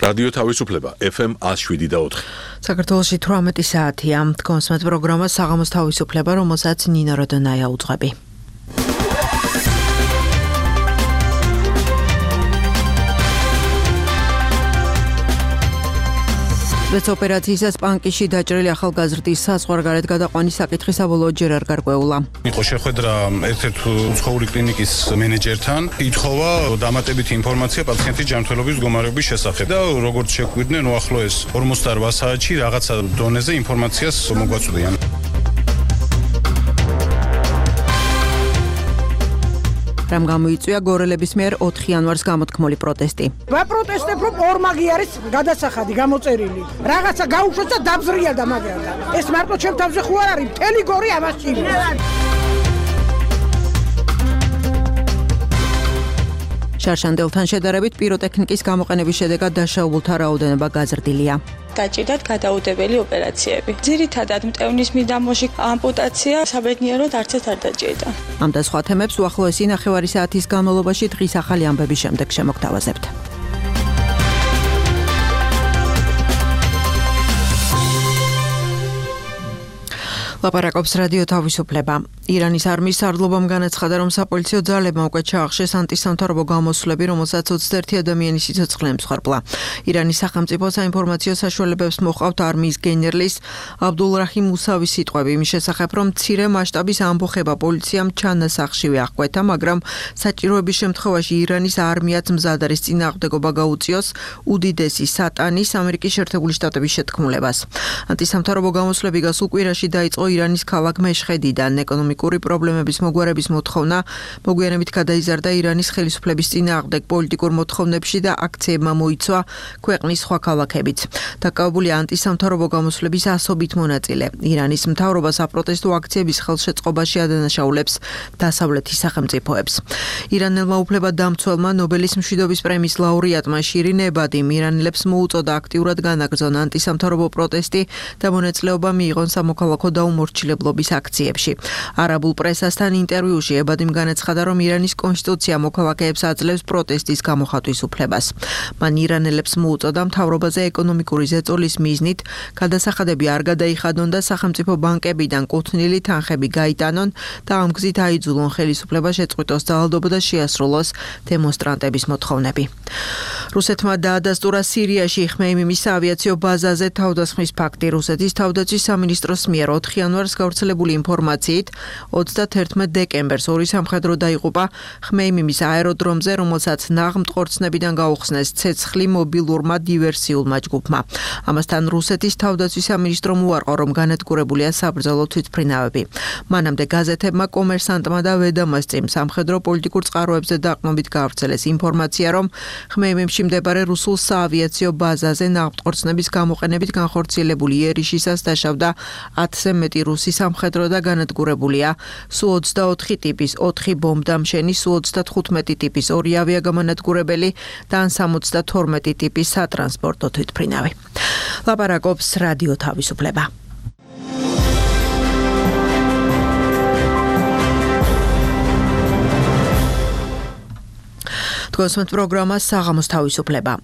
რადიო თავისუფლება FM 107.4. საქართველოში 18 საათია. კონსმეთ პროგრამა საღამოს თავისუფლება, რომელსაც ნინო როდონაია უძღვები. სპეცოპერაციისას პანკიში დაჭრილი ახალგაზრდის საზღვარგარეთ გადაყვანის საკითხი საბოლოოდ ჯერ არ გარკვეულა. იყო შეხვედრა ერთ-ერთ უცხოური კლინიკის მენეჯერთან, ითხოვა დამატებითი ინფორმაცია პაციენტის ჯანმრთელობის მდგომარეობის შესახებ და როგორც შეგვიდნენ, უახლოეს 48 საათში რაღაცა დონეზე ინფორმაციას მოგვაწვდიან. რამ გამოიწვია გორელების მიერ 4 იანვარს გამოთქმული პროტესტი. ვაპროტესტებ, რომ ორმაგი არის გადასახადი გამოწერილი. რაღაცა გაუშვეს და დაბზრიალდა მაგრამ. ეს მარტო ჩემ თავზე ხო არ არის, მთელი გორი ამაში. შარშანდელთან შედარებით პიროტექნიკის გამოყენების შედეგად დაშაულთა რაოდენობა გაზრდილია. გაჭირდათ გადაუდებელი ოპერაციები. ძირითადად მტევნის მიდამოში ამპუტაცია საბედნიეროდ არცეთ არ დაჭირდა. ამ და სხვა თემებს უახლოესი ნახევარი საათის განმავლობაში დღის ახალი ამბების შემდეგ შემოგთავაზებთ. ლაპარაკობს რადიო თავისუფლება. ირანის არმიის სარდლობამ განაცხადა, რომ საპოლიციო ძალებმა უკვე ჩაახშეს ანტისამთავრობო გამოსვლები, რომელსაც 21 ადამიანის სიცოცხლე ემსხვერპლა. ირანის სახელმწიფო საინფორმაციო საშუალებებს მოჰყავთ არმიის გენერლის აბდულრაჰიმ მუსავის სიტყვები იმის შესახებ, რომ მცირე მასშტაბის ამბოხება პოლიციამ ჩანასახშივე აღკვეთა, მაგრამ საჭიროების შემთხვევაში ირანის არმიაც მზად არის წინააღმდეგობა გაუწიოს უდიდესი სატანის ამერიკის შეერთებული შტატების შეთქმულებას. ანტისამთავრობო გამოსვლები გასულ კვირაში დაიწყო ირანის ქალაქ მეშხედიდან. ეკონომიკური პრობლემების მოგვარების მოთხოვნა მოგვიანებით გადაიზარდა ირანის ხელისუფლების წინააღმდეგ პოლიტიკურ მოთხოვნებში და აქციებმა მოიცვა ქვეყნის სხვა ქალაქებიც. დაკავებულია ანტისამთავრობო გამოსვლების ასობით მონაწილე. ირანის მთავრობა საპროტესტო აქციების ხელშეწყობაში ადანაშაულებს დასავლეთის სახელმწიფოებს. ირანელმა უფლებადამცველმა ნობელის მშვიდობის პრემიის ლაურეატმა შირინ ებადიმ ირანელებს მოუწოდა აქტიურად განაგრძონ ანტისამთავრობო პროტესტი და მონაწილეობა მიიღონ სამოქალაქო დაუმორჩილებლობის აქციებში. არაბულ პრესასთან ინტერვიუში ებადიმ განაცხადა, რომ ირანის კონსტიტუცია მოქალაქეებს აძლევს პროტესტის გამოხატვის უფლებას. მან ირანელებს მოუწოდა მთავრობაზე ეკონომიკური ზეწოლის მიზნით გადასახადები არ გადაიხადონ და სახელმწიფო ბანკებიდან კუთვნილი თანხები გაიტანონ და ამ გზით აიძულონ ხელისუფლება შეწყვიტოს ძალადობა და შეასრულოს დემონსტრანტების მოთხოვნები. რუსეთმა დაადასტურა სირიაში ხმეიმიმის საავიაციო ბაზაზე თავდასხმის ფაქტი. რუსეთის თავდაცვის სამინისტროს მიერ 4 იანვარს გავრცელებული ინფორმაციით 31 დეკემბერს ორი სამხედრო დაიღუპა ხმეიმიმის აეროდრომზე, რომელსაც ნაღმტყორცნებიდან გაუხსნეს ცეცხლი მობილურმა დივერსიულმა ჯგუფმა. ამასთან რუსეთის თავდაცვის სამინისტრომ უარყო, რომ განადგურებულია საბრძოლო თვითმფრინავები. მანამდე გაზეთებმა კომერსანტმა და ვედამასწიმ სამხედრო პოლიტიკურ წყაროებზე დაყრდნობით გაავრცელეს ინფორმაცია, რომ ხმეიმიმში მდებარე რუსულ საავიაციო ბაზაზე ნაღმტყორცნების გამოყენებით განხორციელებული იერიშისას დაშავდა 10-ზე მეტი რუსი სამხედრო და განადგურებულია Su-24 ტიპის 4 ბომბდამშენი, Su-35 ტიპის 2 ავიაგამანადგურებელი და 72 ტიპის სატრანსპორტო თვითმფრინავი. ლაპარაკობს რადიო თავისუფლება. კონსმეთ პროგრამა საღამოს თავისუფლება.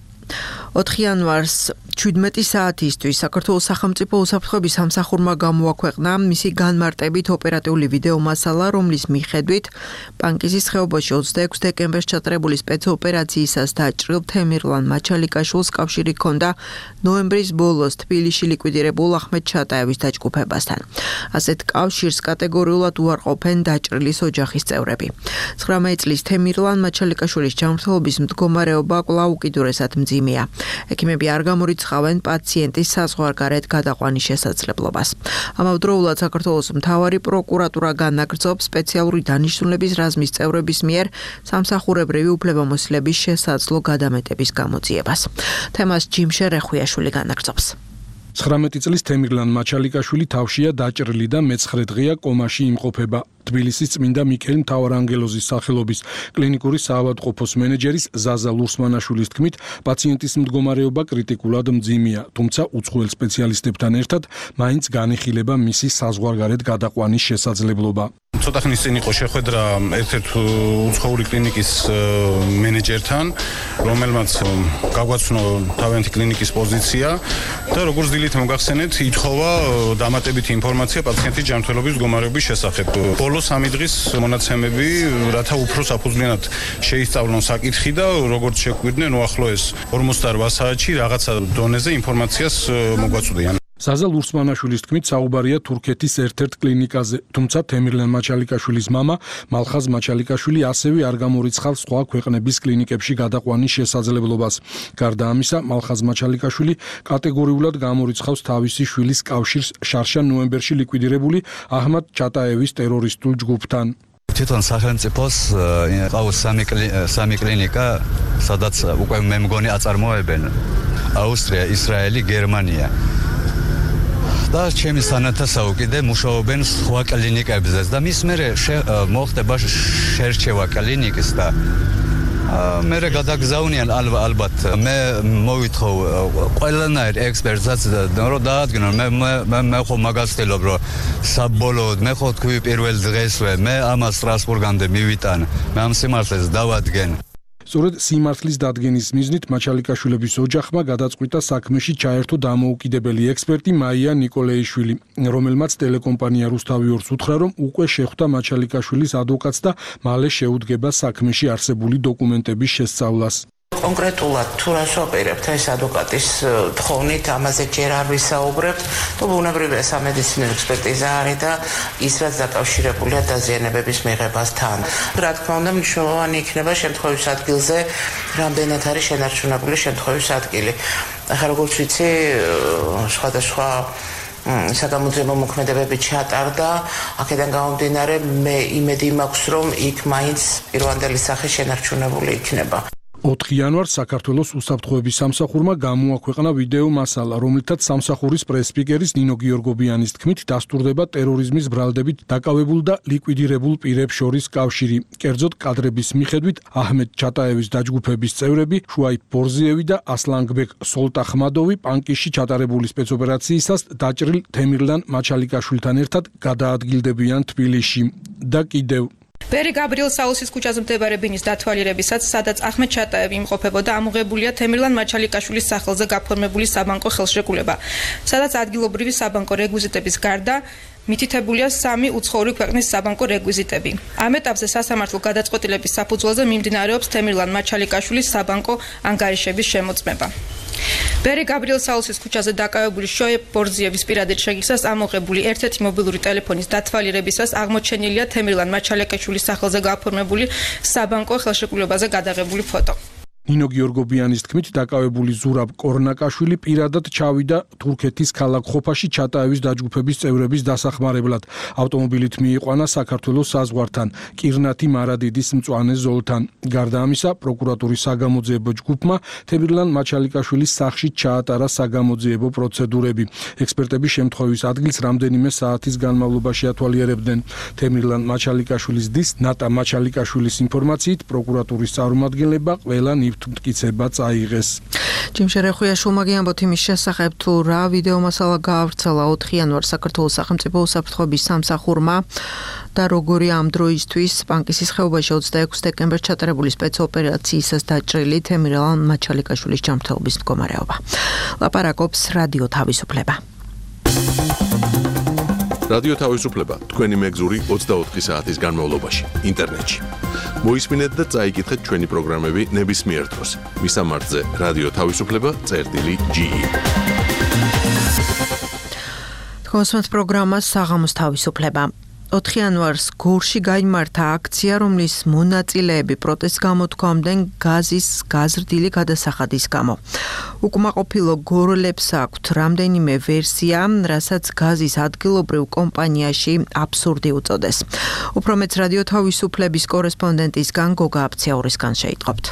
4 იანვარს 17 საათისთვის საქართველოს სახელმწიფო უსაფრთხოების სამსახურმა გამოაქვეყნა მისი განმარტებით ოპერატიული ვიდეო მასალა, რომლის მიხედვით პანკისის ხეობაში 26 დეკემბერს ჩატარებული სპეცოპერაციისას დაჭრილ თემირლან მაჩალიკაშვილს კავშირი ჰქონდა ნოემბრის ბოლოს თბილისში ლიკვიდირებულ ახმედ ჩატაევის დაჯგუფებასთან. ასეთ კავშირს კატეგორიულად უარყოფენ დაჭრილის ოჯახის წევრები. 19 წლის თემირლან მაჩალიკაშვილის ჯანმრთელობის მდგომარეობა კვლავ უკიდურესად მძიმეა. ექიმები არ გამორიცხავენ პაციენტის საზღვარგარეთ გადაყვანის შესაძლებლობას. ამავდროულად საქართველოს მთავარი პროკურატურა განაგრძობს სპეციალური დანიშნულების რაზმის წევრების მიერ სამსახურებრივი უფლებამოსილების შესაძლო გადამეტების გამოძიებას. თემას ჯიმშე რეხვიაშვილი განაგრძობს. 19 წლის თემირლან მაჩალიკაშვილი თავშია დაჭრილი და მე-9 დღეა კომაში იმყოფება. თბილისის წმინდა მიქეილ მთავარანგელოზის სახელობის კლინიკური საავადმყოფოს მენეჯერის ზაზა ლურსმანაშვილის თქმით, პაციენტის მდგომარეობა კრიტიკულად მძიმეა, თუმცა უცხოელ სპეციალისტებთან ერთად მაინც განიხილება მისი საზღვარგარეთ გადაყვანის შესაძლებლობა. ცოტა ხნის წინ იყო შეხვედრა ერთ-ერთ უცხოური კლინიკის მენეჯერთან, რომელმაც გაგვაცნო თავიანთი კლინიკის პოზიცია და როგორც დილით მოგახსენეთ, ითხოვა დამატებითი ინფორმაცია პაციენტის ჯანმრთელობის მდგომარეობის შესახებ. ბოლო 3 დღის მონაცემები, რათა უფრო საფუძვლიანად შეისწავლონ საკითხი და როგორც შეგვიდნენ, უახლოეს 48 საათში რაღაცა დონეზე ინფორმაციას მოგვაწვდიან. ზაზა ლურსმანაშვილის თქმით, საუბარია თურქეთის ერთ-ერთ კლინიკაზე, თუმცა თემირლენ მაჩალიკაშვილის მამა მალხაზ მაჩალიკაშვილი ასევე არ გამორიცხავს სხვა ქვეყნების კლინიკებში გადაყვანის შესაძლებლობას. გარდა ამისა, მალხაზ მაჩალიკაშვილი კატეგორიულად გამორიცხავს თავისი შვილის კავშირს შარშან ნოემბერში ლიკვიდირებული აჰმად ჩატაევის ტერორისტულ ჯგუფთან. თვითონ სახელმწიფოს ყავს სამი კლინიკა, სადაც უკვე მე მგონი აწარმოებენ. აუსტრია, ისრაელი, გერმანია. და ჩემი სანათასაო კიდე მუშაობენ სხვა კლინიკებზეც და მის მერე მოხდება შერჩევა კლინიკის და მერე გადაგზავნიან ალბათ მე მოვითხოვ ყველანაირ ექსპერტსაც რომ დაადგინონ მე ხო მაგას ვთქვი რომ საბოლოოდ მე ხო თქვი პირველ დღესვე მე ამას სტრასბურგამდე მივიტან მე ამ სიმართლეს დავადგენ. სწორედ სიმართლის დადგენის მიზნით მაჩალიკაშვილების ოჯახმა გადაწყვიტა საქმეში ჩაერთო დამოუკიდებელი ექსპერტი მაია ნიკოლეიშვილი, რომელმაც ტელეკომპანია რუსთავი 2-ს უთხრა, რომ უკვე შეხვდა მაჩალიკაშვილის ადვოკატს და მალე შეუდგება საქმეში არსებული დოკუმენტების შესწავლას. კონკრეტულად თუ რას ვაპირებთ ეს ადვოკატის თხოვნით, ამაზე ჯერ არ ვისაუბრებთ, თუ ბუნებრივია სამედიცინო ექსპერტიზა არის და ის რაც დაკავშირებულია დაზიანებების მიღებასთან. რა თქმა უნდა, მნიშვნელოვანი იქნება შემთხვევის ადგილზე რამდენად არის შენარჩუნებული შემთხვევის ადგილი. ახლა როგორც ვიცი, სხვადასხვა საგამოძიებო მოქმედებები ჩატარდა, აქედან გამომდინარე მე იმედი მაქვს, რომ იქ მაინც პირვანდელი სახე შენარჩუნებული იქნება. 4 იანვარს საქართველოს უსაფრთხოების სამსახურმა გამოაქვეყნა ვიდეო მასალა, რომლითაც სამსახურის პრეს-სპიკერის ნინო გიორგობიანის თქმით დასტურდება ტერორიზმის ბრალდებით დაკავებულ და ლიკვიდირებულ პირებს შორის კავშირი. კერძოდ კადრების მიხედვით აჰმედ ჩატაევის დაჯგუფების წევრები შუაიფ ბორზიევი და ასლანგბეკ სოლტახმადოვი პანკიში ჩატარებული სპეცოპერაციისას დაჭრილ თემირლან მაჩალიკაშვილთან ერთად გადაადგილდებიან თბილისში და კიდევ ბერი გაბრიელ საულსის ქუჩაზე მდებარე ბინის დათვალიერებისაც, სადაც აჰმედ ჩატაევი იმყოფებოდა, ამოღებულია თემირლან მაჩალიკაშვილის სახელზე გაფორმებული საბანკო ხელშეკრულება, სადაც ადგილობრივი საბანკო რეგვიზიტების გარდა მითითებულია 3 უცხოური ქვეყნის საბანკო რეგვიზიტები. ამ ეტაპზე სასამართლო გადაწყვეტილების საფუძველზე მიმდინარეობს თემირლან მაჩალიკაშვილის საბანკო ანგარიშების შემოწმება. ბერი გაბრიელ საულსის ქუჩაზე დაკავებული შოეფ ბორზიევის პირადი შეგისას ამოღებული ერთ-ერთი მობილური ტელეფონის დათვალიერებისას აღმოჩენილია თემირლან მაჩალიკაშვილის სახელზე გაფორმებული საბანკო ხელშეკრულებაზე გადაღებული ფოტო. ნინო გიორგობიანის თქმით, დაკავებული ზურაბ კორნაკაშვილი პირადად ჩავიდა თურქეთის ქალაქ ხოფაში ჩატაევის დაჯგუფების წევრების დასახმარებლად. ავტომობილით მიიყვანა საქართველოს საზღვართან, კირნათი მარადიდის მწვანე ზოლთან. გარდა ამისა, პროკურატურის საგამოძიებო ჯგუფმა თემირლან მაჩალიკაშვილის სახლში ჩაატარა საგამოძიებო პროცედურები. ექსპერტები შემთხვევის ადგილს რამდენიმე საათის განმავლობაში ათვალიერებდნენ. თემირლან მაჩალიკაშვილის დის ნატა მაჩალიკაშვილის ინფორმაციით, პროკურატურის წარმომადგენლება ყველა მტკიცება წაიღეს. ჯიმ შერეხუიაშვილმა გიამბოთ იმის შესახებ, თუ რა ვიდეო მასალა გაავრცელა 4 იანვარს საქართველოს სახელმწიფო უსაფრთხოების სამსახურმა და როგორი ამ დროისთვის პანკისის ხეობაში 26 დეკემბერს ჩატარებული სპეცოპერაციისას დაჭრილი თემირლან მაჩალიკაშვილის ჯანმრთელობის მდგომარეობა. ლაპარაკობს რადიო თავისუფლება. რადიო თავისუფლება თქვენი მეგზური 24 საათის განმავლობაში ინტერნეტში. მოისმინეთ და წაიკითხეთ ჩვენი პროგრამები ნებისმიერ დროს. მისამართზე რადიო თავისუფლება.ge. თქვენს პროგრამას საღამოს თავისუფლება. 4 იანვარს გორში გაიმართა აქცია, რომლის მონაწილეები პროტესტს გამოთქვამდნენ გაზის გაზრდილი გადასახადის გამო. უკმაყოფილო გორლებს აქვთ რამდენიმე ვერსია, რასაც გაზის ადგილობრივ კომპანიაში აბსურდი უწოდეს. უფრო მეც რადიო თავისუფლების კორესპონდენტისგან გოგა აფციაურისგან შეიტყობთ.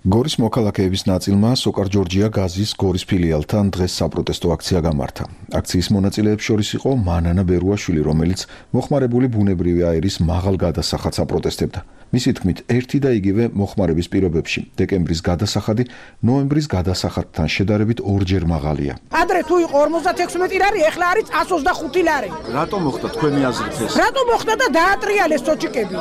გორის მოქალაქეების ნაწილმა სოკარ ჯორჯია გაზის გორის ფილიალთან დღეს საპროტესტო აქცია გამართა. აქციის მონაწილეებს შორის იყო მანანა ბერუაშვილი, რომელიც მოხმარებული ბუნებრივი აირის მაღალ გადასახადს აპროტესტებდა. მისი თქმით, ერთი და იგივე მოხმარების პირობებში დეკემბრის გადასახადი ნოემბრის გადასახადთან შედარებით ორჯერ მაღალია. ადრე თუ იყო 56 ლარი, ეხლა არის 125 ლარი. რატომ მოხდა თქვენი აზრით ეს? რატომ მოხდა და დაატრიალეს სოჭიკები?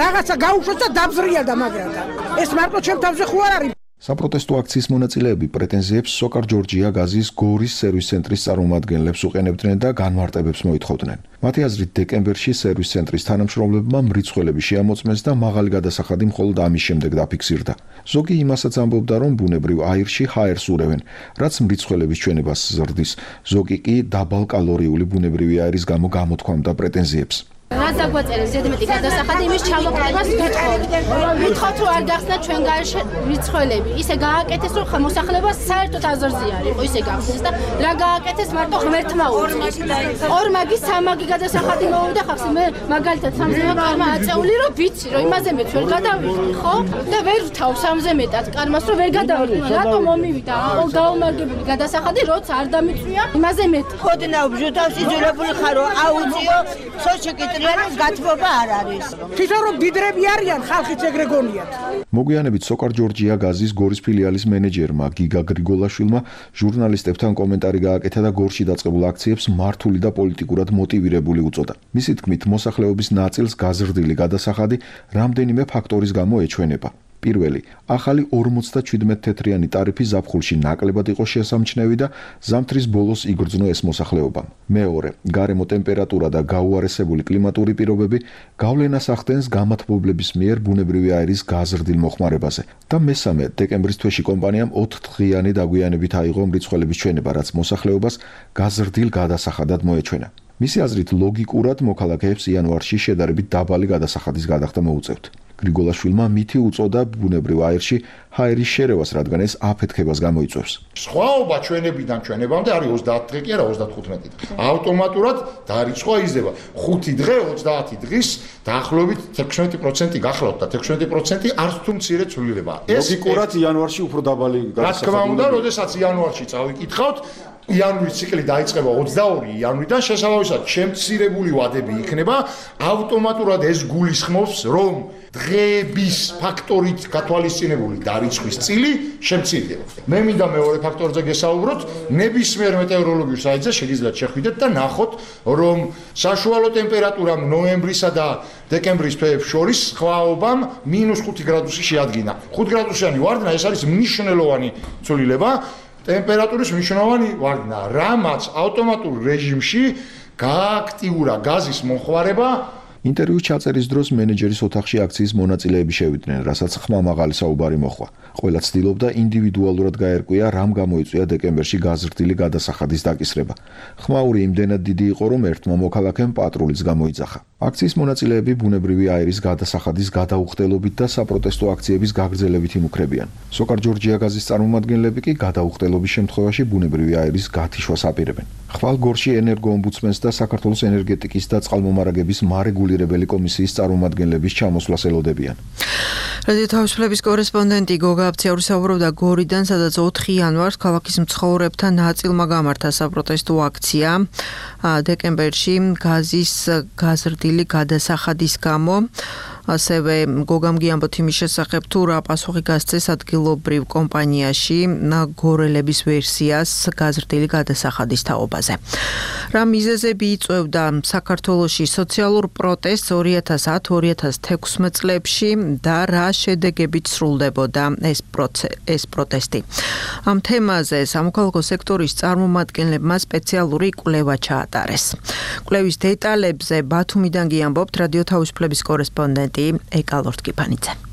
რაღაცა გაუშვეს და დაბზრიალდა მაგრათა. ეს მარტო ჩემ თავზე ხო არ არის? საპროტესტო აქციის მონაწილეები პრეტენზიებს სოკარ ჯორჯია გაზის გორის სერვის ცენტრის წარმომადგენლებს უყენებდნენ და განმარტებებს მოითხოვდნენ. მათი აზრით, დეკემბერში სერვის ცენტრის თანამშრომლებმა მრიცხველები შეამოწმეს და მაღალი გადასახადი მხოლოდ ამის შემდეგ დაფიქსირდა. ზოგი იმასაც ამბობდა, რომ ბუნებრივ აირში ჰაერს ურევენ, რაც მრიცხველების ჩვენებას ზრდის. ზოგი კი დაბალკალორიული ბუნებრივი აირის გამო გამოთქვამდა პრეტენზიებს. რაც დაგვაწერეს ზედმეტი გადასახადი იმის ჩამოყენებას ვიტყოთ რომ არ გახსნა ჩვენ გარეშე რიცხველები ისე გააკეთეს რომ მოსახლეობას საერთოდ აზრზე არ იყო ისე გახსნეს და რა გააკეთეს მარტო ღმერთმა უწეს ორმაგი სამაგი გადასახადი მოვიდა ხახს მე მაგალითად სამზეა კარმა აწეული რომ ვიცი რომ იმაზე მეც ვერ გადავიხდი ხო და ვერ ვთავ სამზე მეტად კარმას რომ ვერ გადავიხდი რატო მომივიდა აყოლ გაუმარგებელი გადასახადი როცა არ დამიწვია იმაზე მეტ ხოდნა ბჟუტავს იძულებული ხარო აუწიო სოჩეკი გათბობა არ არის. თვითონ რომ დიდრები არიან, ხალხიც ეგრე გონიათ. მოგვიანებით სოკარ ჯორჯია გაზის გორის ფილიალის მენეჯერმა გიგა გრიგოლაშვილმა ჟურნალისტებთან კომენტარი გააკეთა და გორში დაწყებულ აქციებს მართული და პოლიტიკურად მოტივირებული უწოდა. მისი თქმით, მოსახლეობის ნაწილს გაზრდილი გადასახადი რამდენიმე ფაქტორის გამო ეჩვენება. პირველი, ახალი 57 თეთრიანი ტარიფი ზაფხულში ნაკლებად იყო შესამჩნევი და ზამთრის ბოლოს იგრძნო ეს მოსახლეობამ. მეორე, გარემო ტემპერატურა და გაუარესებული კლიმატური პირობები გავლენას ახდენს გამათბობლების მიერ ბუნებრივი აირის გაზრდილ მოხმარებაზე. და მესამე, დეკემბრის თვეში კომპანიამ 4 დღიანი დაგვიანებით აიღო მრიცხველების ჩვენება, რაც მოსახლეობას გაზრდილ გადასახადად მოეჩვენა. მისი აზრით, ლოგიკურად მოქალაქეებს იანვარში შედარებით დაბალი გადასახადის გადახდა მოუწევთ. გრიგოლაშვილმა მითი უწოდა ბუნებრივ აირში ჰაერის შერევას, რადგან ეს აფეთქებას გამოიწვევს. სხვაობა ჩვენებიდან ჩვენებამდე არის 30 დღე კი არა 35 დღე. ავტომატურად დარიცხვა იზრდება. 5 დღე 30 დღის დაახლოებით 16% გახლავთ და 16% არც თუ მცირე ცვლილება. ლოგიკურად იანვარში უფრო დაბალი გადასახადი. რა თქმა უნდა, როდესაც იანვარში წავიკითხავთ, იანვრის ციკლი დაიწყება 22 იანვრიდან, შესაბამისად, შემცირებული ვადები იქნება, ავტომატურად ეს გულისხმობს, რომ დღეების ფაქტორით გათვალისწინებული დარიცხვის წილი შემცირდება. მე მინდა მეორე ფაქტორზე გესაუბროთ, ნებისმიერ მეტეოროლოგიურ საიტზე შეგიძლიათ შეხვიდეთ და ნახოთ, რომ საშუალო ტემპერატურამ ნოემბრისა და დეკემბრის თვეებს შორის სხვაობამ -5 გრადუსი შეადგინა. 5 გრადუსიანი ვარდნა ეს არის მნიშვნელოვანი ცვლილება. ტემპერატურის მნიშვნელოვანი ვარდნა, რამაც ავტომატურ რეჟიმში გააქტიურა გაზის მომხმარება. ინტერვიუს ჩაწერის დროს მენეჯერის ოთახში აქციის მონაწილეები შევიდნენ, რასაც ხმა მაღალი საუბარი მოხდა. ყველა ცდილობდა ინდივიდუალურად გაერკვია, რამ გამოიწვია დეკემბერში გაზრდილი გადასახადის დაკისრება. ხმაური იმდენად დიდი იყო, რომ ერთმა მოქალაქემ პატრულიც გამოიძახა. აქციის მონაწილეები ბუნებრივი აირის გადასახადის გადაუხდელობით და საპროტესტო აქციების გაგრძელებით იმუქრებიან. სოკარ ჯორჯია გაზის წარმომადგენლები კი გადაუხდელობის შემთხვევაში ბუნებრივი აირის გათიშვას აპირებენ. ხვალ გორში ენერგოომბუდსმენს და საქართველოს ენერგეტიკის და წყალმომარაგების მარეგულირებელი კომისიის წარმომადგენლების ჩამოსვლას ელოდებიან. რადიო თავისუფლების კორესპონდენტი გოგა აბციაური საუბრობდა გორიდან, სადაც 4 იანვარს ქალაქის მცხოვრებთა ნაწილმა გამართა საპროტესტო აქცია დეკემბერში გაზის გაზრდილი გადასახადის გამო. ასევე გოგამ გიამბოთ იმის შესახებ, თუ რა პასუხი გასცეს ადგილობრივ კომპანიაში გორელების ვერსიას გაზრდილი გადასახადის თაობაზე. რა მიზეზები იწვევდა საქართველოში სოციალურ პროტესტს 2010-2016 წლებში და რა შედეგებით სრულდებოდა ეს პროტესტი. ამ თემაზე სამოქალაქო სექტორის წარმომადგენლებმა სპეციალური კვლევა ჩაატარეს. კვლევის დეტალებზე ბათუმიდან გიამბობთ რადიო თავისუფლების კორესპონდენტი ეკალორტკიფანიძე.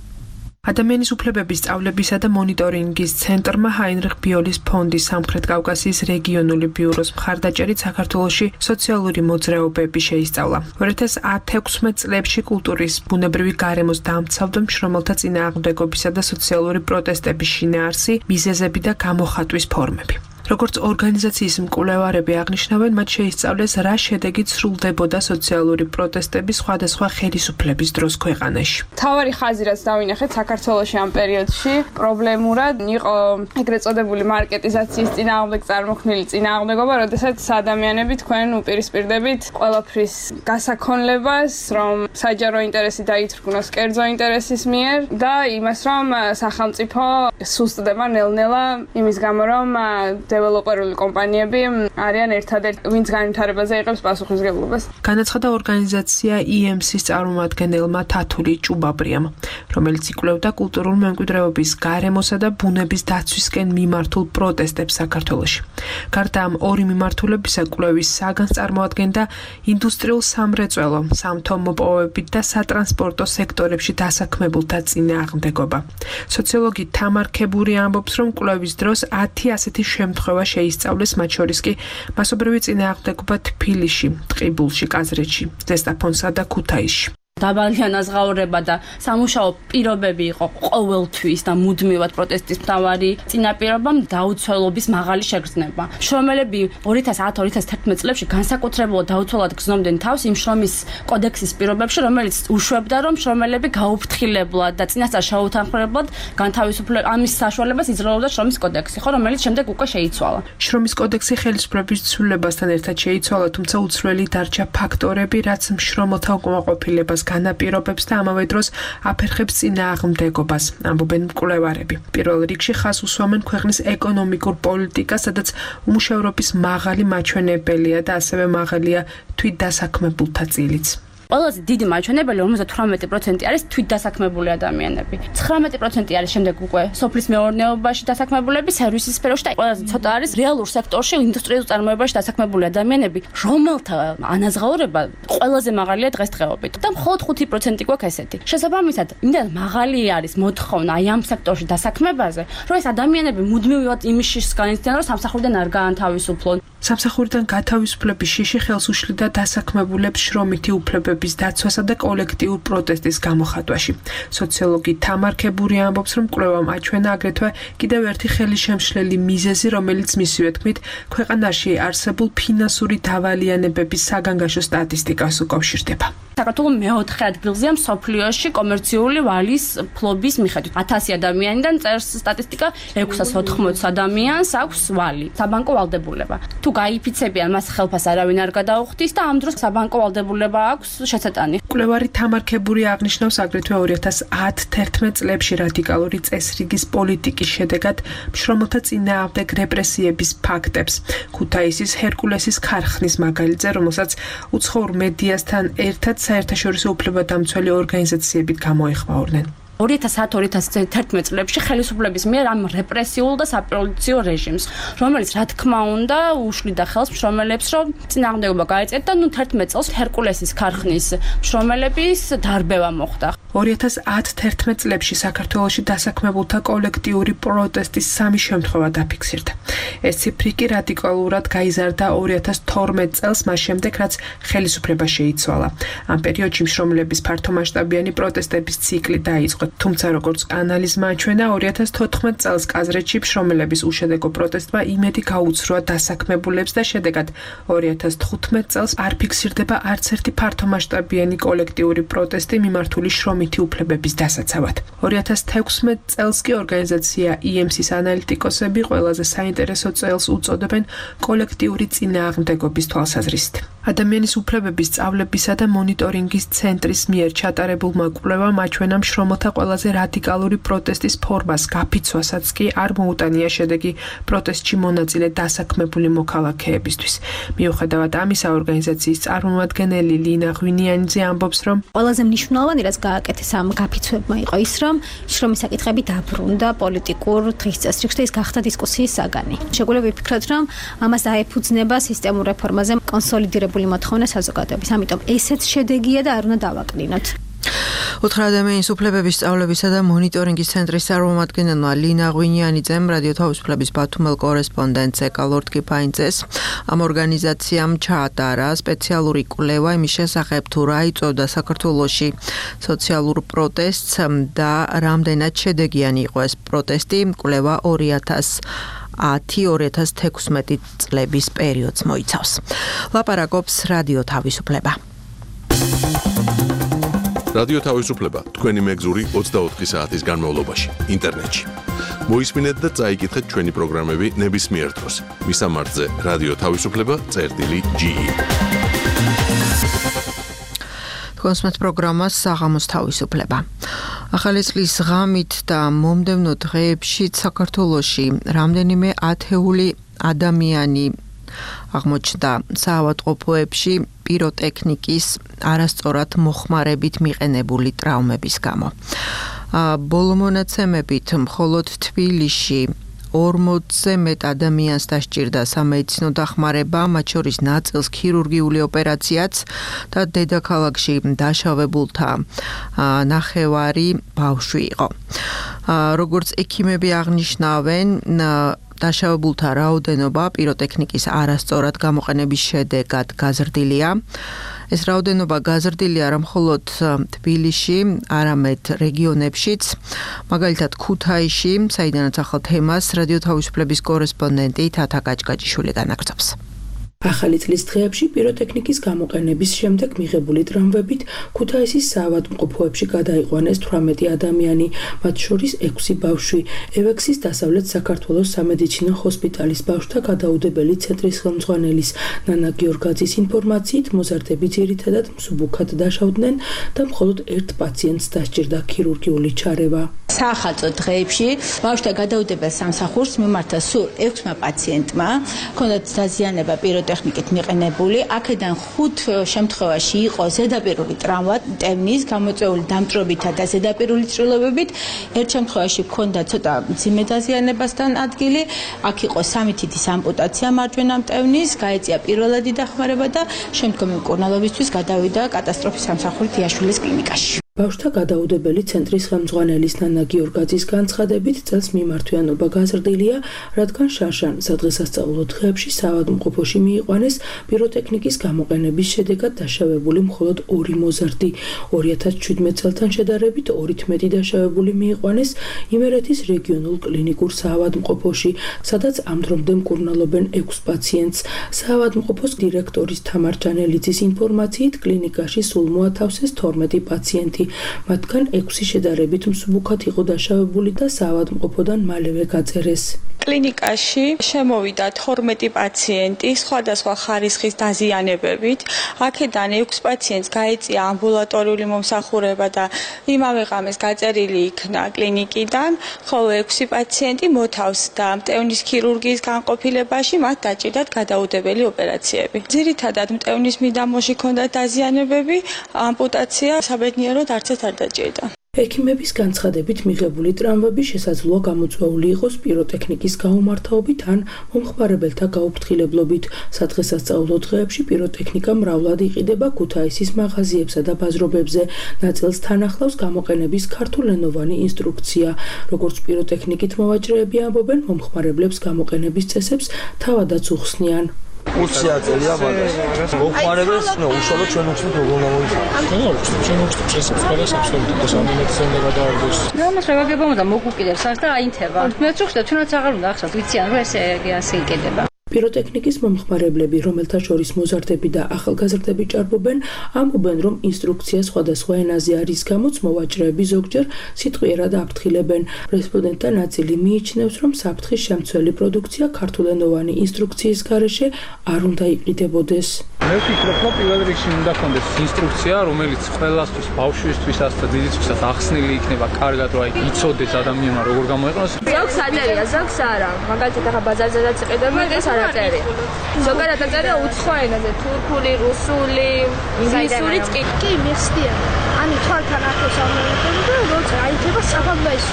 ადამიანის უფლებების სწავლებისა და მონიტორინგის ცენტრმა ჰაინრიხ ბიოლის ფონდის სამხრეთ კავკასიის რეგიონული ბიუროს მხარდაჭერით საქართველოში სოციალური მოძრაობები შეისწავლა. 2016 წლებში კულტურის ბუნებრივი გარემოს დამცავდა მშრომელთა წინააღმდეგობისა და სოციალური პროტესტების შინაარსი, მიზეზები და გამოხატვის ფორმები. როგორც ორგანიზაციის მკვლევარები აღნიშნავენ, მათ შეისწავლეს რა შედეგით სრულდებოდა სოციალური პროტესტების სხვადასხვა ხელისუფლების დროს ქვეყანაში. თავარი ხაზი რაც დავინახეთ საქართველოში ამ პერიოდში პრობლემურად იყო ეგრეთ წოდებული მარკეტიზაციის წინააღმდეგ წარმოქმნილი წინააღმდეგობა, როდესაც ადამიანები თქვენ უპირისპირდებით ყველაფრის გასაქონლებას, რომ საჯარო ინტერესი დაითრგუნოს კერძო ინტერესის მიერ და იმას, რომ სახელმწიფო სუსტდება ნელ-ნელა იმის გამო, რომ დეველოპერული კომპანიები არიან ერთადერთი, ვინც განვითარებაზე იღებს პასუხისმგებლობას. განაცხადა ორგანიზაცია EMC-ის წარმომადგენელმა თათული ჭუბაბრიამ, რომელიც იკვლევდა კულტურულ მემკვიდრეობის, გარემოსა და ბუნების დაცვისკენ მიმართულ პროტესტებს საქართველოში. გარდა ამ ორი მიმართულებისა, კვლევის საგანს წარმოადგენდა ინდუსტრიულ სამრეწველო, სამთო მოპოვებით და სატრანსპორტო სექტორებში დასაქმებულთა წინააღმდეგობა. სოციოლოგი თამარ ქებური ამბობს, რომ კვლევის დროს 10 ასეთი შემთხვევა შეისწავლეს, მათ შორის კი მასობრივი წინააღმდეგობა თბილისში, ტყიბულში, კაზრეთში, ზესტაფონსა და ქუთაისში. დაბალი ანაზღაურება და სამუშაო პირობები იყო ყოველთვის და მუდმივად პროტესტის მთავარი წინაპირობა დაუცველობის მაღალი შეგრძნება. შრომელები 2010-2011 წლებში განსაკუთრებულად დაუცველად გრძნობდნენ თავს იმ შრომის კოდექსის პირობებში, რომელიც უშვებდა, რომ შრომელები გაუფრთხილებლად და წინასწარ შეუთანხმებლად განთავისუფლება ამის საშუალებას იძლეოდა შრომის კოდექსი, ხო, რომელიც შემდეგ უკვე შეიცვალა. შრომის კოდექსი ხელისუფლების ცვლილებასთან ერთად შეიცვალა, თუმცა უცვლელი დარჩა ფაქტორები, რაც მშრომელთა უკმაყოფილებას განაპირობებს და ამავე დროს აფერხებს წინააღმდეგობას, ამბობენ მკვლევარები. პირველ რიგში ხაზს უსვამენ ქვეყნის ეკონომიკურ პოლიტიკას, სადაც უმუშევრობის მაღალი მაჩვენებელია და ასევე მაღალია თვითდასაქმებულთა წილიც. ყველაზე დიდი მაჩვენებელი 58% არის თვითდასაქმებული ადამიანები. 19% არის შემდეგ უკვე სოფლის მეურნეობაში დასაქმებულები, სერვისის სფეროში და ყველაზე ცოტა არის რეალურ სექტორში, ინდუსტრიულ წარმოებაში დასაქმებული ადამიანები, რომელთა ანაზღაურება ყველაზე მაღალია დღესდღეობით. და მხოლოდ 5% გვაქვს ესეთი. შესაბამისად, იმდენ მაღალი არის მოთხოვნა აი ამ სექტორში დასაქმებაზე, რომ ეს ადამიანები მუდმივად იმის განიცდიან, რომ სამსახურიდან არ გაანთავისუფლონ. სამსახურიდან გათავისუფლების შიში ხელს უშლიდა დასაქმებულებს შრომითი უფლებების დაცვასა და კოლექტიურ პროტესტის გამოხატვაში. სოციოლოგი თამარ ქებური ამბობს, რომ კვლევამ აჩვენა აგრეთვე კიდევ ერთი ხელისშემშლელი მიზეზი, რომელიც მისივე თქმით, ქვეყანაში არსებულ ფინანსური დავალიანებების საგანგაშო სტატისტიკას უკავშირდება. საქართველოს მეოთხე ადგილზეა მსოფლიოში კომერციული ვალის ფლობის მიხედვით. 1000 ადამიანიდან წერს სტატისტიკა 680 ადამიანს აქვს ვალი, საბანკო ვალდებულება. თუ გაიფიცებიან მას ხელფას არავინ არ გადაუხდის და ამ დროს საბანკო ვალდებულება აქვს შეცეტანი. მკვლევარი თამარ ქებური აღნიშნავს აგრეთვე 2010-11 წლებში რადიკალური წესრიგის პოლიტიკის შედეგად მშრომელთა წინააღმდეგ რეპრესიების ფაქტებს. ქუთაისის ჰერკულესის ქარხნის მაგალითზე, რომელსაც უცხოურ მედიასთან ერთად საერთაშორისო უფლებადამცველი ორგანიზაციებით გამოეხმაურნენ. 2010-2011 წლებში ხელისუფლების მიერ ამ რეპრესიულ და საპოლიციო რეჟიმს, რომელიც რა თქმა უნდა უშლიდა ხელს მშრომელებს, რომ წინააღმდეგობა გაეწიათ და 11 წელს ჰერკულესის ქარხნის მშრომელების დარბევა მოხდა. 2010-11 წლებში საქართველოში დასაქმებულთა კოლექტიური პროტესტის 3 შემთხვევა დაფიქსირდა. ეს ციფრი კი რადიკალურად გაიზარდა 2012 წელს, მას შემდეგ რაც ხელისუფლება შეიცვალა. ამ პერიოდში მშრომელების ფართომასშტაბიანი პროტესტების ციკლი დაიწყო. თუმცა როგორც ანალიზმა აჩვენა 2014 წელს კაზრეთში მშრომელების უშედეგო პროტესტმა იმედი გაუცროა დასაქმებულებს და შედეგად 2015 წელს არ ფიქსირდება არც ერთი ფართომასშტაბიანი კოლექტიური პროტესტი მიმართული შრომითი უფლებების დასაცავად. 2016 წელს კი ორგანიზაცია EMC-ის ანალიტიკოსები ყველაზე საინტერესო წელს უწოდებენ კოლექტიური წინააღმდეგობის თვალსაზრისით. ადამიანის უფლებების სწავლებისა და მონიტორინგის ცენტრის მიერ ჩატარებულმა კვლევამ აჩვენა მშრომელთა ყველაზე რადიკალური პროტესტის ფორმას გაფიცვასაც კი არ მოუტანია შედეგი პროტესტში მონაწილე დასაქმებული მოქალაქეებისთვის. მიუხედავად ამისა, ორგანიზაციის წარმომადგენელი ლინა ღვინიანიძე ამბობს, რომ ყველაზე მნიშვნელოვანი რაც გააკეთეს ამ გაფიცვებმა იყო ის, რომ შრომის საკითხები დაბრუნდა პოლიტიკურ დღის წესრიგში და ის გახდა დისკუსიის საგანი. შეგვიძლია ვიფიქროთ, რომ ამას აეფუძნება სისტემურ რეფორმაზე კონსოლიდირებული მოთხოვნა საზოგადოების. ამიტომ ესეც შედეგია და არ უნდა დავაკნინოთ. 4 ადამიანის უფლებების სწავლებისა და მონიტორინგის ცენტრის წარმომადგენელმა ლინა ღვინიანიძემ რადიო თავისუფლების ბათუმელ კორესპონდენტს ეკალორდ კიფაინძეს ამ ორგანიზაციამ ჩაატარა სპეციალური კვლევა იმის შესახებ თუ რა იწვევდა საქართველოში სოციალურ პროტესტს და რამდენად შედეგიანი იყო ეს პროტესტი. კვლევა 2010-2016 წლების პერიოდს მოიცავს. ლაპარაკობს რადიო თავისუფლება. რადიო თავისუფლება თქვენი მეგზური 24 საათის განმავლობაში ინტერნეტში. მოისმინეთ და წაიკითხეთ ჩვენი პროგრამები ნებისმიერ დროს. მისამართზე რადიო თავისუფლება.ge. კონსმეთ პროგრამას საღამოს თავისუფლება. ახალი წლის ღამით და მომდევნო დღეებში საქართველოში რამდენიმე ათეული ადამიანი აღმოჩნდა საავადმყოფოებში პიროტექნიკის არასწორად მოხმარებით მიყენებული ტრავმების გამო. ბოლო მონაცემებით მხოლოდ თბილისში 40-ზე მეტ ადამიანს დასჭირდა სამედიცინო დახმარება, მათ შორის ნაწილს ქირურგიული ოპერაციაც და დედაქალაქში დაშავებულთა ნახევარი ბავშვი იყო. როგორც ექიმები აღნიშნავენ, დაშავებულთა რაოდენობა პიროტექნიკის არასწორად გამოყენების შედეგად გაზრდილია. ეს რაოდენობა გაზრდილია არა მხოლოდ თბილისში, არამედ რეგიონებშიც, მაგალითად ქუთაისში, საიდანაც ახალ თემას რადიო თავისუფლების კორესპონდენტი თათა გაჭგაჭიშვილი განაგრძობს. ახალი წლის დღეებში პიროტექნიკის გამოყენების შემდეგ მიღებული ტრავმებით ქუთაისის საავადმყოფოებში გადაიყვანეს 18 ადამიანი, მათ შორის 6 ბავშვი. ევექსის დასავლეთ საქართველოს სამედიცინო ჰოსპიტალის ბავშვთა გადაუდებელი ცენტრის ხელმძღვანელის ნანა გიორგაძის ინფორმაციით, მოზარდები ძირითადად მსუბუქად დაშავდნენ და მხოლოდ ერთ პაციენტს დასჭირდა ქირურგიული ჩარევა. საახალწლო დღეებში ბავშვთა გადაუდებელ სამსახურს მიმართა სულ 6 პაციენტმა, ჰქონდათ დაზიანება პიროტექნიკით მიყენებული. აქედან 5 შემთხვევაში იყო ზედაპირული ტრავმა, მტევნის, გამოწვეული დამწვრობითა და ზედაპირული წვრილებებით. ერთ შემთხვევაში ჰქონდა ცოტა მძიმე დაზიანებასთან ადგილი. აქ იყო 3 თითის ამპუტაცია მარჯვენა მტევნის, გაეწია პირველადი დახმარება და შემდგომი მკურნალობისთვის გადავიდა კატასტროფის სამსახურით იაშვილის კლინიკაში. ბავშვთა გადაუდებელი ცენტრის ხელმძღვანელის ნანა გიორგაძის განცხადებით, წელს მიმართვიანობა გაზრდილია, რადგან შარშან სადღესასწაულო დღეებში საავადმყოფოში მიიყვანეს პიროტექნიკის გამოყენების შედეგად დაშავებული მხოლოდ 2 მოზარდი. 2017 წელთან შედარებით 2-ით მეტი დაშავებული მიიყვანეს იმერეთის რეგიონულ კლინიკურ საავადმყოფოში, სადაც ამ დრომდე მკურნალობენ 6 პაციენტს. საავადმყოფოს დირექტორის თამარ ჯანელიძის ინფორმაციით, კლინიკაში სულ მოათავსეს 12 პაციენტი. მათგან 6 შედარებით მსუბუქად იყო დაშავებული და საავადმყოფოდან მალევე გაწერეს. კლინიკაში შემოვიდა 12 პაციენტი სხვადასხვა ხარისხის დაზიანებებით. აქედან 6 პაციენტს გაეწია ამბულატორიული მომსახურება და იმავე ღამეს გაწერილი იქნა კლინიკიდან, ხოლო 6 პაციენტი მოთავსდა მტევნის ქირურგიის განყოფილებაში, მათ დაჭირდათ გადაუდებელი ოპერაციები. ძირითადად მტევნის მიდამოში ჰქონდათ დაზიანებები, ამპუტაცია საბედნიეროდ არც ერთ არ დაჭირდა. ექიმების განცხადებით მიღებული ტრავმები შესაძლოა გამოწვეული იყოს პიროტექნიკის გაუმართავობით ან მომხმარებელთა გაუფრთხილებლობით. სადღესასწაულო დღეებში პიროტექნიკა მრავლად იყიდება ქუთაისის მაღაზიებსა და ბაზრობებზე. ნაწილს თან ახლავს გამოყენების ქართულენოვანი ინსტრუქცია. როგორც პიროტექნიკით მოვაჭრეები ამბობენ, მომხმარებლებს გამოყენების წესებს თავადაც უხსნიან. Usia celia magas. Მოხმარებელს უშუალოდ ჩვენ უხსნით როგორ გამოიხსნა. ჩვენ უხსნით შესაძლებლობას აბსოლუტურად სამედიცინო გადაარდოს. ნორმას რეგაგებამ და მოგუკიდებს არც და აინთება. მე წუხდა თუნდაც აღარ უნდა ახსნათ, ვიციან რომ ესე ასე იყიდება. პიროტექნიკის მომხმარებლები, რომელთა შორის მოზარდები და ახალგაზრდები ჭარბობენ, ამბობენ, რომ ინსტრუქცია სხვადასხვა ენაზე არის, გამოც მოვაჭრეები ზოგჯერ სიტყვიერად აფრთხილებენ. რესპონდენტთა ნაწილი მიიჩნევს, რომ საფრთხის შემცველი პროდუქცია ქართულენოვანი ინსტრუქციის გარეშე არ უნდა იყიდებოდეს. მე ვფიქრობ, რომ პირველ რიგში უნდა ჰქონდეს ინსტრუქცია, რომელიც ყველასთვის, ბავშვისთვისაც და დიდისთვისაც ახსნილი იქნება კარგად, რომ იცოდეს ადამიანმა როგორ გამოიყენოს. ზოგს აწერია, ზოგს არა. მაგალითად, ახლა ბაზარზედაც იყიდება და აწერია. ზოგადად აწერია უცხო ენაზე, თურქული, რუსული, ინგლისურიც კი. კი, მიხსნია. ანუ თვალთან ახლოს ამოიყენო და როცა აიძება საფამბაის.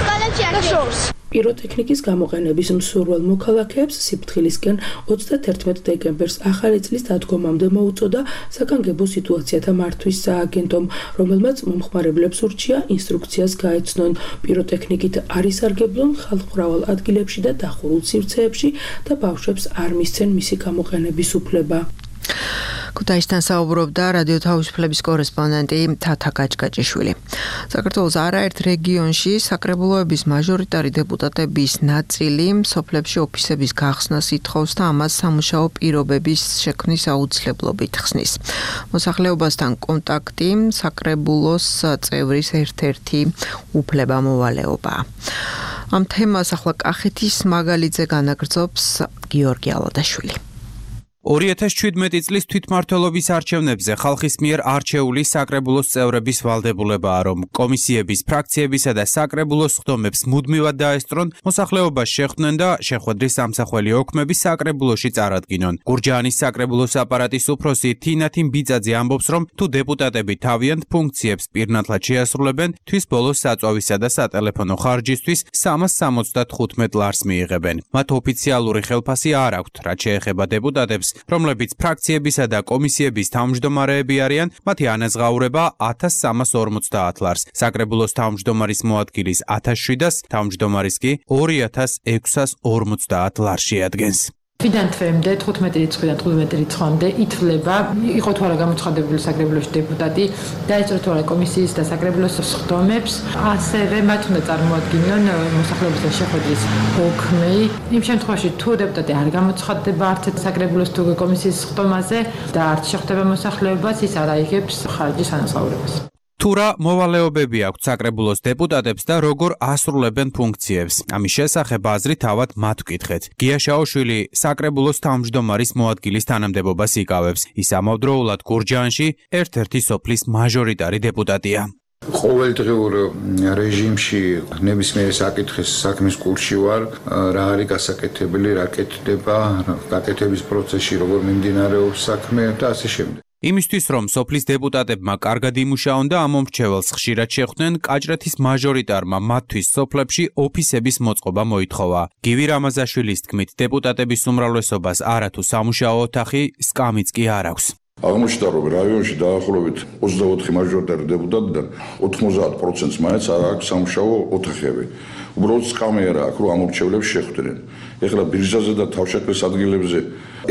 და შორს. პიროტექნიკის გამოყენების მსურველ მოქალაქეებს სიფრთხილისკენ 31 დეკემბერს ახალი წლის დადგომამდე მოუწოდა საკანგებო სიტუაციათა მართვის სააგენტომ, რომელმაც მომხმარებლებს ურჩია ინსტრუქციას გაეცნონ პიროტექნიკით არ ისარგებლონ ხალხმრავალ ადგილებში და დახურულ სივრცეებში და ბავშვებს არ მისცენ მისი გამოყენების უფლება. ქუთაისთან საუბრობდა რადიო თავისუფლების კორესპონდენტი თათა გაჭგაჭიშვილი. საქართველოს არაერთ რეგიონში საკრებულოების მაჟორიტარი დეპუტატების ნაწილი სოფლებში ოფისების გახსნას ითხოვს და ამას სამუშაო პირობების შექმნის აუცილებლობით ხსნის. მოსახლეობასთან კონტაქტი საკრებულოს წევრის ერთ-ერთი უფლებამოვალეობაა. ამ თემას ახლა კახეთის მაგალითზე განაგრძობს გიორგი ალადაშვილი. 2017 წლის თვითმმართველობის არჩევნებზე ხალხის მიერ არჩეული საკრებულოს წევრების ვალდებულებაა, რომ კომისიების, ფრაქციებისა და საკრებულოს ხდომებს მუდმივად დაესწრონ, მოსახლეობას შეხვდნენ და შეხვედრის სამსახველი ოქმები საკრებულოში წარადგინონ. გურჯაანის საკრებულოს აპარატის უფროსი თინათი ბიძაძე ამბობს, რომ თუ დეპუტატები თავიანთ ფუნქციებს პირნათლად შეასრულებენ, თვის ბოლოს საწვავისა და სატელეფონო ხარჯისთვის 375 ლარს მიიღებენ. მათ ოფიციალური ხელფასი არ აქვთ, რაც შეეხება დეპუტატებს, რომლებიც ფრაქციებისა და კომისიების თავმჯდომარეები არიან, მათი ანაზღაურება 1350 ლარს. საკრებულოს თავმჯდომარის მოადგილის 1700-ს, თავმჯდომარის კი 2650 ლარს შეადგენს. თვიდან თვემდე 15 რიცხვიდან 15 რიცხვამდე ითვლება, იყო თუ არა გამოცხადებული საკრებულოში დეპუტატი, დაეწრო თუ არა კომისიის და საკრებულოს ხდომებს, ასევე მათ უნდა წარმოადგინონ მოსახლეობასთან შეხვედრის ოქმი. იმ შემთხვევაში თუ დეპუტატი არ გამოცხადდება არც საკრებულოს თუ კომისიის ხდომაზე და არც შეხვდება მოსახლეობას, ის არ აიღებს ხარჯის ანაზღაურებას. თუ რა მოვალეობები აქვთ საკრებულოს დეპუტატებს და როგორ ასრულებენ ფუნქციებს. ამის შესახებ აზრი თავად მათ ვკითხეთ. გია შაოშვილი საკრებულოს თავმჯდომარის მოადგილის თანამდებობას იკავებს. ის ამავდროულად გურჯაანში ერთ-ერთი სოფლის მაჟორიტარი დეპუტატია. ყოველდღიურ რეჟიმში ნებისმიერ საკითხის საქმის კურსში ვარ, რა არის გასაკეთებელი, რა კეთდება, გაკეთების პროცესში როგორ მიმდინარეობს საქმე და ასე შემდეგ. იმისთვის, რომ სოფლის დეპუტატებმა კარგად იმუშაონ და ამ მომრჩეველს ხშირად შეხვდნენ, კაჭრეთის მაჟორიტარმა მათთვის სოფლებში ოფისების მოწყობა მოითხოვა. გივი რამაზაშვილის თქმით, დეპუტატების უმრავლესობას არათუ სამუშაო ოთახი, სკამიც კი არ აქვს. აღმოჩნდა, რომ რაიონში დაახლოებით 24 მაჟორიტარი დეპუტატიდან 90%-ს მაინც არ აქვს სამუშაო ოთახები. უბრალოდ სკამი არ აქვს, რომ ამორჩევლებს შეხვდნენ. ეხლა ბირჟაზე და თავშეყრის ადგილებზე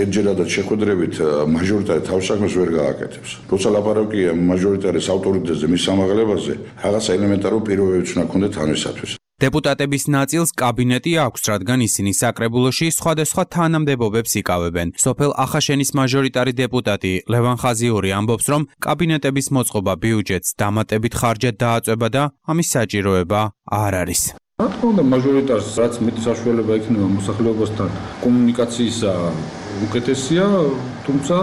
ერთჯერადად შეხვედრებით მაჟორიტარი თავსაქმეს ვერ გააკეთებს. როცა ლაპარაკია მაჟორიტარის ავტორიტეტზე, მის ამაღლებაზე, რაღაცა ელემენტარო პირობებიც უნდა ქონდეთ ამისათვის. დეპუტატების ნაწილს კაბინეტი აქვს, რადგან ისინი საკრებულოში სხვადასხვა თანამდებობებს იკავებენ. სოფელ ახაშენის მაჟორიტარი დეპუტატი ლევან ხაზიური ამბობს, რომ კაბინეტების მოწყობა ბიუჯეტს დამატებით ხარჯად დააწვება და ამის საჭიროება არ არის. რა თქმა უნდა, მაჟორიტარს რაც მეტი საშუალება ექნება მოსახლეობასთან კომუნიკაციისა უკეთესია, თუმცა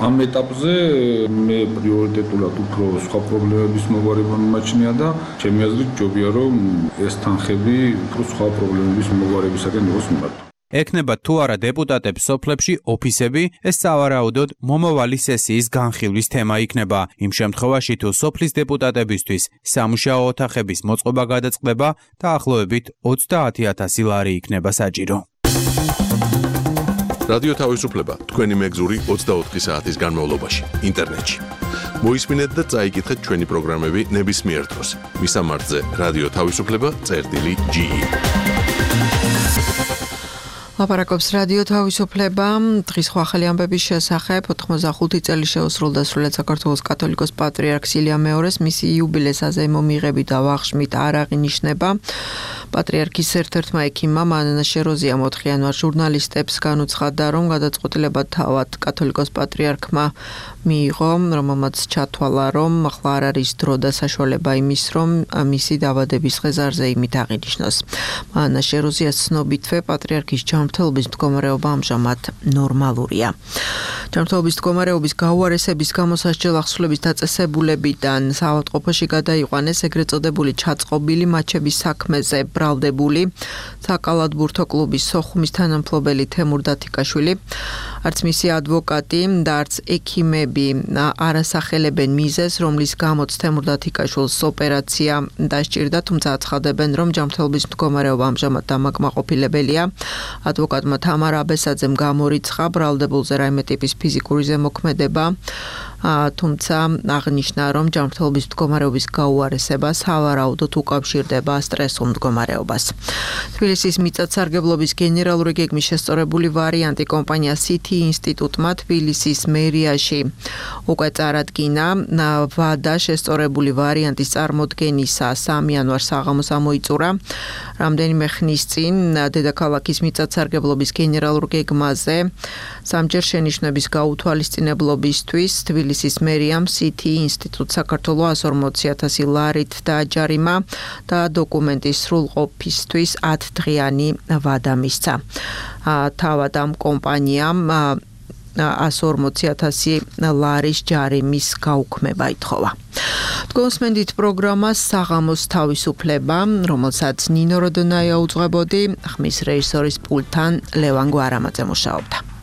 ამ ეტაპზე მე პრიორიტეტულად უფრო სხვა პრობლემების მოგვარება მიმაჩნია და ჩემი აზრით ჯობია რომ ეს თანხები უფრო სხვა პრობლემების მოგვარებისაკენ იყოს მიმართული. ექნება თუ არა დეპუტატებს სოფლებში ოფისები, ეს სავარაუდოდ მომავალი სესიის განხილვის თემა იქნება. იმ შემთხვევაში თუ სოფლის დეპუტატებისთვის სამუშაო ოთახების მოწყობა გადაწყდება, დაახლოებით 30000 ლარი იქნება საჭირო. რადიო თავისუფლება თქვენი მეგზური 24 საათის განმავლობაში ინტერნეტში. მოისმინეთ და წაიკითხეთ ჩვენი პროგრამები ნებისმიერ დროს. მისამართზე რადიო თავისუფლება.ge. ლაპარაკობს რადიო თავისუფლება. დღის ახალი ამბების შესახებ 85 წელი შეუსრულდა სრულიად საქართველოს კათოლიკოს პატრიარქ ილია მეორეს მისი იუბილეს აზემო მიღებით და ვახშმით არ აღინიშნება. პატრიარქის ერთ-ერთმა ექიმმა მანანა შეროზია 4 იანვარს ჟურნალისტებს განუცხადა, რომ გადაწყვეტილება თავად კათოლიკოს პატრიარქმა მიიღო, რომელმაც ჩათვალა, რომ ახლა არ არის დრო და საშუალება იმის, რომ მისი დაბადების დღე ზარზე იმით აღინიშნოს. მანანა შეროზიას ცნობითვე პატრიარქის ჯანმრთელობის მდგომარეობა ამჟამად ნორმალურია. ჯანმრთელობის მდგომარეობის გაუარესების გამო სასჯელ ახსნილების დაწესებულებიდან საავადმყოფოში გადაიყვანეს ეგრეთ წოდებული ჩაწყობილი მაჩების საქმეზე ბრალდებული საკალათბურთო კლუბის სოხუმის თანამფლობელი თემურ დათიკაშვილი. არც მისი ადვოკატი და არც ექიმები არასახელებენ მიზეზს, რომლის გამოც თემურ დათიკაშვილს ოპერაცია დასჭირდა, თუმცა აცხადებენ, რომ ჯანმრთელობის მდგომარეობა ამჟამად დამაკმაყოფილებელია. ადვოკატმა თამარ აბესაძემ გამორიცხა ბრალდებულზე რაიმე ტიპის ფიზიკური ზემოქმედება, თუმცა აღნიშნა, რომ ჯანმრთელობის მდგომარეობის გაუარესება სავარაუდოდ უკავშირდება სტრესულ მდგომარეობას. თბილისის მიწათსარგებლობის გენერალური გეგმის შესწორებული ვარიანტი კომპანია CT ინსტიტუტმა თბილისის მერიაში უკვე წარადგინა. ვადა შესწორებული ვარიანტის წარმოდგენისა 3 იანვარს საღამოს ამოიწურა. რამდენიმე ხნის წინ დედაქალაქის მიწათსარგებლობის გენერალურ გეგმაზე სამჯერ შენიშვნების გაუთვალისწინებლობისთვის თბილისის მერიამ CT ინსტიტუტს საქართველოს 140,000 ლარით დააჯარიმა და დოკუმენტის სრულყოფისთვის 10 დღიანი ვადა მისცა. თავად ამ კომპანიამ 140,000 ლარის ჯარიმის გაუქმება ითხოვა. გონსმენდით პროგრამას საღამოს თავისუფლება, რომელსაც ნინო როდონაია უძღვებოდი, ხმის რეჟისორის პულტთან ლევან გვარამაძე მუშაობდა.